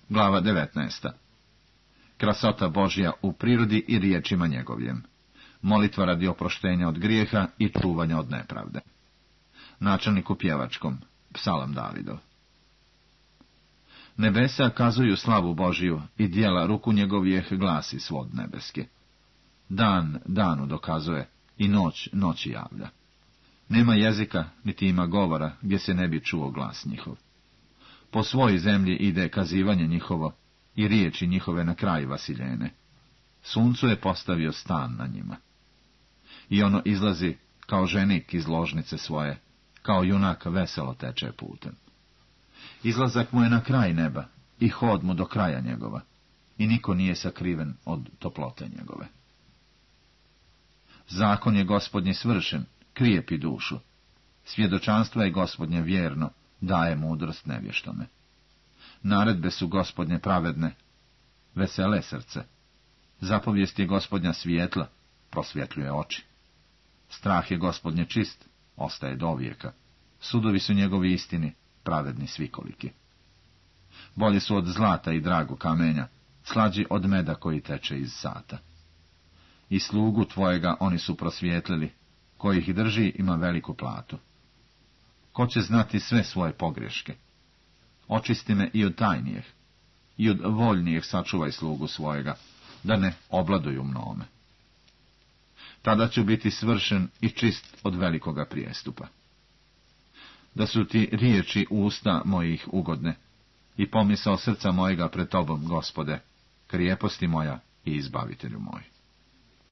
Glava 19. Krasota Božja u prirodi i riječima njegovim. Molitva radi oproštenja od grijeha i čuvanja od nepravde. Načelnik u pjevačkom. Psalam Davidov. Nebesa kazuju slavu Božiju i dijela ruku njegovijeh glasi svod nebeski. Dan danu dokazuje i noć noći javlja. Nema jezika, niti ima govora, gdje se ne bi čuo glas njihov. Po svoj zemlji ide kazivanje njihovo i riječi njihove na kraj vasiljene. Suncu je postavio stan na njima. I ono izlazi kao ženik iz ložnice svoje, kao junak veselo teče putem. Izlazak mu je na kraj neba i hod mu do kraja njegova, i niko nije sakriven od toplote njegove. Zakon je Gospodnje svršen, krijepi dušu. Svjedočanstvo je Gospodnje vjerno, daje mudrost nevještome. Naredbe su Gospodnje pravedne, vesele srce. Zapovijest je Gospodnja svijetla, prosvjetljuje oči. Strah je Gospodnje čist, ostaje do vijeka. Sudovi su njegovi istini, pravedni svikoliki. Bolji su od zlata i drago kamenja, slađi od meda koji teče iz sata. I slugu tvojega oni su prosvijetlili, koji ih drži ima veliku platu. Ko će znati sve svoje pogreške? Očisti me i od tajnijeh, i od voljnijeh sačuvaj slugu svojega, da ne obladuju mnome. Tada ću biti svršen i čist od velikoga prijestupa. Da su ti riječi usta mojih ugodne i pomisao srca mojega pred tobom, Gospode, krijeposti moja i izbavitelju moj.